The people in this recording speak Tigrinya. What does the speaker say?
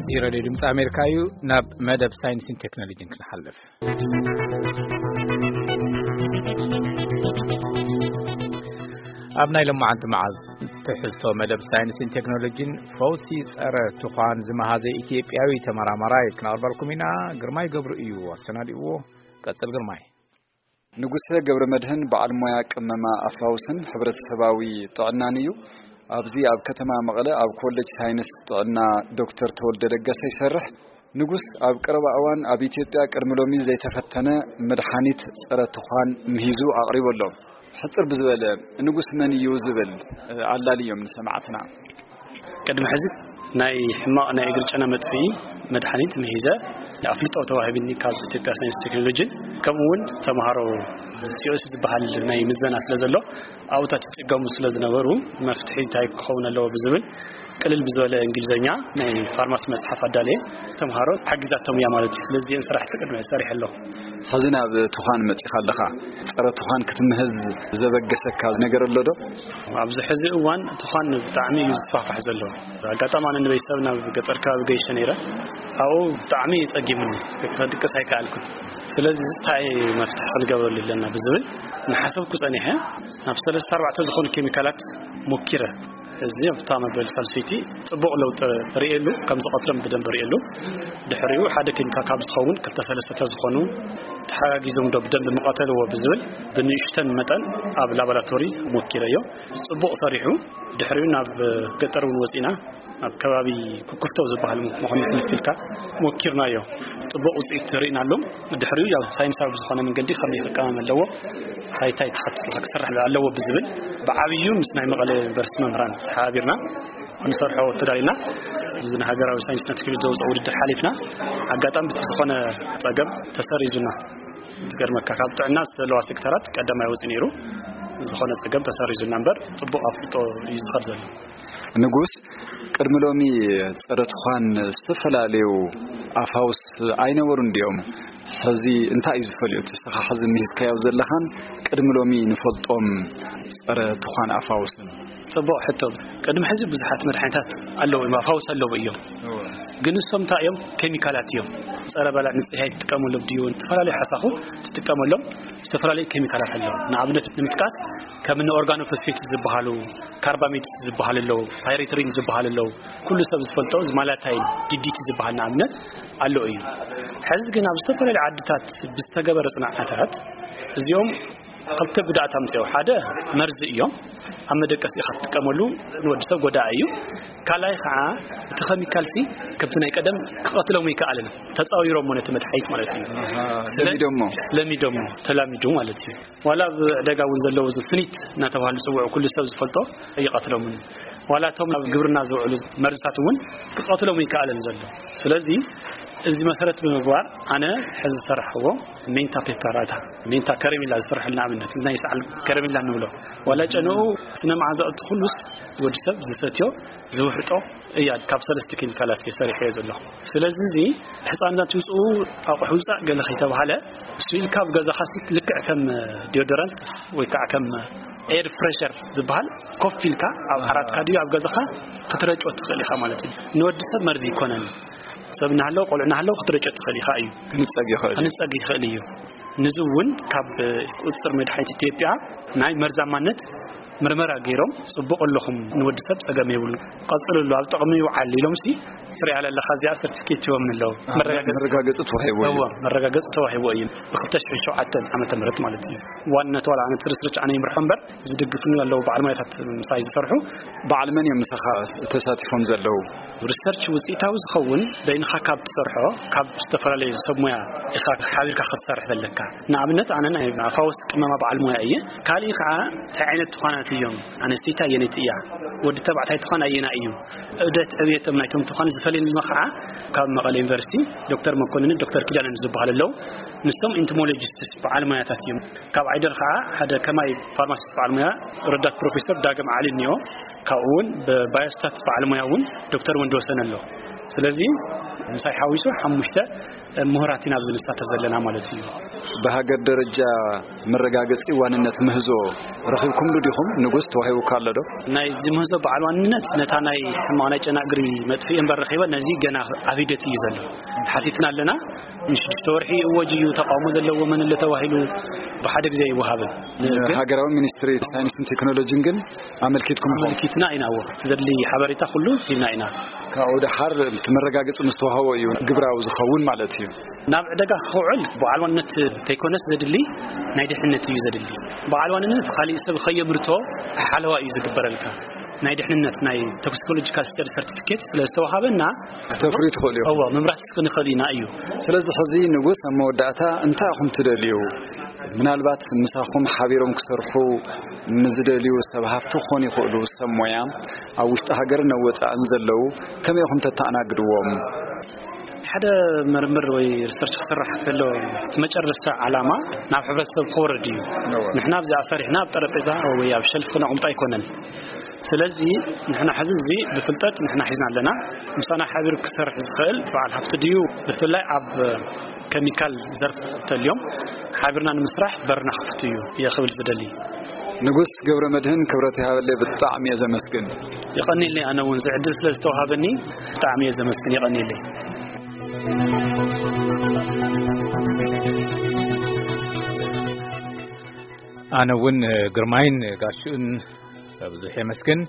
እዚ ሬድዮ ድምፂ ኣሜሪካ እዩ። ናብ መደብ ሳይንስን ቴክኖሎጂን ክንሓልፍ። ኣብ ናይ ሎማዓንቲ መዓልቲ ትሕዝቶ መደብ ሳይንስን ቴክኖሎጂን፣ ፈውሲ ጸረ ትዃን ዝመሃዘ ኢትዮጵያዊ ተመራማራይ ክነቕርበልኩም ኢና። ግርማይ ገብሩ እዩ ኣሰናዲእዎ። ቀጽል ግርማይ። ንጉሰ ገብረ መድህን በዓል ሞያ ቅመማ ኣፋውስን ሕብረተሰባዊ ጥዕናን እዩ። ኣብዚ ኣብ ከተማ መቐለ ኣብ ኮሌጅ ሳይንስ ጥዕና ዶክተር ተወልደ ለገሰ ይሰርሕ። ንጉስ ኣብ ቀረባ እዋን ኣብ ኢትዮጵያ ቅድሚ ሎሚ ዘይተፈተነ መድሓኒት ጸረ ትዃን ምሂዙ ኣቕሪቡ ኣሎ። ሕጽር ብዝበለ፣ ንጉስ መን እዩ ዝብል ኣላልዮም ንሰማዕትና። ቅድሚ ሕዚ ናይ ሕማቕ ናይ እግሪ ጨና መጥፍኢ መድሓኒት ምሂዘ ኣፍልጦ ተዋሂብኒ ካብ ኢትዮጵያ ሳይንስ ቴክኖሎጂን፣ ከምኡ እውን ተምሃሮ ሲኦሲ ዝበሃል ናይ ምዘና ስለ ዘሎ፣ ኣብኡታት ይጽገሙ ስለ ዝነበሩ፣ መፍትሒ እንታይ ክኸውን ኣለዎ ብዝብል ቅልል ብዝበለ እንግሊዝኛ ናይ ፋርማሲ መጽሓፍ ኣዳልየ ተምሃሮ ሓጊዛቶም እያ ማለት እዩ። ስለዚ እዚአን ስራሕቲ ቅድሚ ሰሪሐ ኣለኹ። ሕዚ ናብ ትዃን መጺኻ ኣለኻ። ጸረ ትዃን ክትምህዝ ዘበገሰካ ነገር ኣሎ ዶ? ኣብዚ ሕዚ እዋን ትዃን ብጣዕሚ እዩ ዝስፋሕፋሕ ዘሎ። ኣጋጣሚ ኣነ ንበይተሰብ ናብ ገጠር ከባቢ ገይሸ ነይረ። ኣብኡ ብጣዕሚ እዩ ጸጊሙኒ። ክድቅስ ኣይከኣልኩን። ስለዚ እንታይ መፍትሒ ክንገብረሉ ኣለና ብዝብል እናሓሰብኩ ጸኒሐ፣ ናብ ሰለስተ ኣርባዕተ ዝኾኑ ኬሚካላት ሞኪረ። እዚ ኣብታ መበል ሳልሰይቲ ጽቡቕ ለውጢ ርእየሉ፣ ከም ዝቐትሎም ብደንብ ርእየሉ። ድሕሪኡ ሓደ ኬሚካል ካብ ዝኸውን ክልተ ሰለስተ ዝኾኑ ተሓጋጊዞም ዶ ብደንብ ምቐተልዎ ብዝብል ብንእሽተን መጠን ኣብ ላቦራቶሪ ሞኪረዮ። ጽቡቕ ሰሪሑ። ድሕሪኡ ናብ ገጠር እውን ወጺና፣ ኣብ ከባቢ ኩኩፍቶ ዝበሃል መኾኒ ሕልፍ ኢልካ ሞኪርናዮ። ጽቡቕ ውጽኢት ርኢናሉ። ድሕሪኡ ያው ሳይንሳዊ ብዝኾነ መንገዲ ከመይ ክቀመም ኣለዎ፣ እንታይ እንታይ ተኸቲሉ ክስራሕ ኣለዎ ብዝብል ብዓብዩ ምስ ናይ መቐለ ዩኒቨርሲቲ መምህራን ተሓባቢርና ክንሰርሖ ተዳሊና። እዚ ንሃገራዊ ሳይንስና ቴክኖሎጂ ዘውፅኦ ውድድር ሓሊፍና። ኣጋጣሚ ዝኾነ ጸገም ተሰሪዙና። ዝገርመካ ካብ ጥዕና ዘለዋ ሴክተራት ቀዳማይ ወፂኡ ነይሩ። ዝኾነ ጸገም ተሰሪዙና እምበር ጽቡቕ ኣፍልጦ እዩ ዝኸድ ዘሎ። ንጉስ፣ ቅድሚ ሎሚ ጸረ ትዃን ዝተፈላለዩ ኣፋውስ ኣይነበሩን ድዮም? ሕዚ እንታይ እዩ ዝፈልዮ? እቲ እስኻ ሕዚ ምሂዝካዮ ዘለኻን ቅድሚ ሎሚ ንፈልጦም ጸረ ትዃን ኣፋውስን? ጽቡቕ ሕቶ። ቅድሚ ሕዚ ብዙሓት መድሓኒታት ኣለዉ እዮም፣ ኣፋውስ ኣለዉ እዮም። እወ። ግን እሶም እንታይ እዮም? ኬሚካላት እዮም። ጸረ ባልዕ ንጽህቲ ኣይትጥቀመሎም ድዩ? ዝተፈላለዩ ሓሳኹ ትጥቀመሎም ዝተፈላለዩ ኬሚካላት ኣለዉ። ንኣብነት ንምጥቃስ ከም እኒ ኦርጋኖፎስፌት ዝበሃሉ፣ ካርባሜት ዝበሃሉ ኣለዉ፣ ፓይሬትሪን ዝበሃሉ ኣለዉ። ኩሉ ሰብ ዝፈልጦ ዝማላታይን ዲዲቲ ዝበሃል ንኣብነት ኣሎ እዩ። ሕዚ ግን ኣብ ዝተፈላለዩ ዓድታት ብዝተገበረ ጽናዓታት እዚኦም ክልተ ጉድኣት ኣምፅኦ። ሓደ መርዚ እዮም። ኣብ መደቀሲ ኢኻ ትጥቀመሉ፣ ንወዲ ሰብ ጎዳኢ እዩ። ካልኣይ ከዓ እቲ ኬሚካል ሲ ከምቲ ናይ ቀደም ክቐትሎም ይከኣልን፣ ተፃዊሮሞ ነቲ መድሓኒት ማለት እዩ። ኣሃ፣ ስለ- ለሚዶሞ። ለሚዶሞ፣ ተላሚዱ ማለት እዩ። ዋላ ኣብ ዕዳጋ እውን ዘለዉ እዚ ፍኒት እናተባህሉ ዝፅውዑ ኩሉ ሰብ ዝፈልጦ ይቐትሎምን፣ ዋላ እቶም ኣብ ግብርና ዝውዕሉ መርዝታት እውን ክቐትሎም ይከኣልን ዘሎ። ስለዚ እዚ መሰረት ብምግባር ኣነ ሕዚ ዝሰራሕዎ ሜንታ ፔፐራታ፣ ሜንታ ከረሜላ ዝስርሐሉ ንኣብነት ናይ ሰዓል ከረሜላ ንብሎ፣ ዋላ ጨንኡ ስነ መዓዛ እቲ ኩሉስ ወዲ ሰብ ዝሰትዮ ዝውሕጦ እያ። ካብ ሰለስተ ኬሚካላት እየ ሰሪሐዮ ዘለኹ። ስለዚ እዚ ህፃናት ይውፅኡ፣ ኣቑሑ ውፃእ ገለ ከይተባሃለ፣ እሱ ኢልካ ኣብ ገዛኻ ሲ ልክዕ ከም ዲዮዶራንት ወይ ከዓ ከም ኤር ፍሬሸር ዝበሃል ኮፍ ኢልካ ኣብ ዓራትካ ድዩ ኣብ ገዛኻ ክትረጮ ትኽእል ኢኻ ማለት እዩ። ንወዲ ሰብ መርዚ ይኮነን። ሰብ እናሃለወ፣ ቆልዑ እናሃለወ ክትረጮ ትኽእል ኢኻ እዩ። ክንጸግ ይኽእል እዩ። ክንጸግ ይኽእል እዩ። ንዚ እውን ካብ ቁጽጽር መድሓኒት ኢትዮጵያ ናይ መርዛማነት ምርመራ ገይሮም፣ "ጽቡቕ ኣለኹም፣ ንወዲ ሰብ ጸገም የብሉ፣ ቀጽልሉ፣ ኣብ ጥቕሚ ይውዓል" ኢሎም ሲ፣ "ትሪኣ ኣለኻ፣ እዚኣ ሰርቲፊኬት" ሂቦም ኣለዉ። ኣሃ፣ መረጋገጺ መረጋገጺ ተዋሂቡ እዩ። እወ፣ መረጋገጺ ተዋሂቡ እዩ። ብ ክልተ ሽሕን ሸውዓተን ዓመተ ምህረት ማለት እዩ። ዋንነት ዋላ ኣነ እቲ ሪሰርች ኣነ ይምርሖ እምበር፣ ዝድግፉኒ ኣለዉ በዓል ሞያታት ምሳይ ዝሰርሑ። በዓል መን እዮም ምሳኻ ተሳቲፎም ዘለዉ? ሪሰርች ውጽኢታዊ ዝኸውን በይንኻ ካብ ትሰርሖ፣ ካብ ዝተፈላለዩ ሰብ ሞያ ኢኻ ሓቢርካ ክትሰርሕ ዘለካ። ንኣብነት ኣነ ናይ ኣፋውስ ቅመማ በዓል ሞያ እየ። ካልእ ከዓ እንታይ ዓይነት ትዃናት እዮም? ኣንስተይቲ ኣየነይቲ እያ? ወዲ ተባዕታይ ትዃን ኣየና እዩ? ዑደት ዕብየቶም ናይቶም ትዃን ዝፈልየኒ ከዓ ካብ መቐለ ዩኒቨርሲቲ ዶክተር መኮንንን ዶክተር ኪዳነን ዝበሃሉ ኣለዉ። ንሶም ኢንቶሞሎጂስትስ በዓል ሞያታት እዮም። ካብ ዓይደር ከዓ ሓደ ከማይ ፋርማሲስት በዓል ሞያ ረዳት ፕሮፌሰር ዳግም ዓሊ እኒኦ። ካብኡ እውን ብባዮስታት በዓል ሞያ እውን ዶክተር ወንድወሰን ኣሎ። ስለዚ ምሳይ ሓዊሱ ሓሙሽተ ምሁራት ኢና ኣብዚ ንሳተፍ ዘለና ማለት እዩ። ብሃገር ደረጃ መረጋገፂ ዋንነት ምህዞ ረኺብኩምሉ ዲኹም? ንጉስ ተዋሂቡካ ኣሎ ዶ? ናይዚ ምህዞ በዓል ዋንነት ነታ ናይ ሕማቕ ናይ ጨና እግሪ መጥፍኢ እምበር ረኺበ፣ ነዚ ገና ኣብ ሂደት እዩ ዘሎ። ሓቲትና ኣለና። ንሽዱሽተ ወርሒ እወጅ እዩ፣ ተቃውሞ ዘለዎ መን ኣሎ ተባሂሉ ብሓደ ግዜ ኣይወሃብን። ግን ሃገራዊ ሚኒስትሪ ሳይንስን ቴክኖሎጂን ግን ኣመልኪትኩም ኢኹም? ኣመልኪትና ኢና። እዎ፣ እቲ ዘድሊ ሓበሬታ ኩሉ ሂብና ኢና። ካብኡ ደሓር እቲ መረጋገፂ ምስ ተዋህቦ እዩ ግብራዊ ዝኸውን ማለት እዩ። ናብ ዕደጋ ክውዕል በዓል ዋንነት ተይኮነስ ዘድሊ ናይ ድሕነት እዩ ዘድሊ። በዓል ዋንነት ካሊእ ሰብ ከየምርቶ ሓለዋ እዩ ዝግበረልካ። ናይ ድሕንነት ናይ ቶክሲኮሎጂካል ስተዲ ሰርቲፊኬት ስለ ዝተዋሃበና ክተፍርዩ ትኽእሉ እዮም። እዎ፣ ምምራት ክንኽእል ኢና እዩ። ስለዚ ሕዚ ንጉስ ኣብ መወዳእታ እንታይ ኢኹም ትደልዩ? ምናልባት ምሳኹም ሓቢሮም ክሰርሑ ንዝደልዩ ሰብ ሃፍቲ ክኾኑ ይኽእሉ፣ ሰብ ሞያ ኣብ ውሽጢ ሃገርን ኣብ ወፃእን ዘለዉ ከመይ ኢኹም ተተኣናግድዎም? ሓደ ምርምር ወይ ሪሰርች ክስራሕ ከሎ እቲ መጨረስታ ዓላማ ናብ ሕብረተሰብ ክወርድ እዩ። እወ። ንሕና ኣብዚኣ ሰሪሕና ኣብ ጠረጴዛ ወይ ኣብ ሸልፍ ነቑምጣ ኣይኮነን። ስለዚ ንሕና ሕዚ እዚ ብፍልጠት ንሕና ሒዝና ኣለና። ምሳና ሓቢሩ ክሰርሕ ዝኽእል በዓል ሃፍቲ ድዩ? ብፍላይ ኣብ ከሚካል ዘርፍ ተልዮም ሓቢርና ንምስራሕ በርና ክፍት እዩ እየ ክብል ዝደሊ። ንጉስ ገብረ መድህን ክብረት ይሃበለይ፣ ብጣዕሚ እየ ዘመስግን። የቐንየለይ፣ ኣነ እውን እዚ ዕድል ስለ ዝተዋሃበኒ ብጣዕሚ እየ ዘመስግን። የቐንየለይ። ኣነ እውን ግርማይን ጋሽኡን ብዙሕ የመስግን።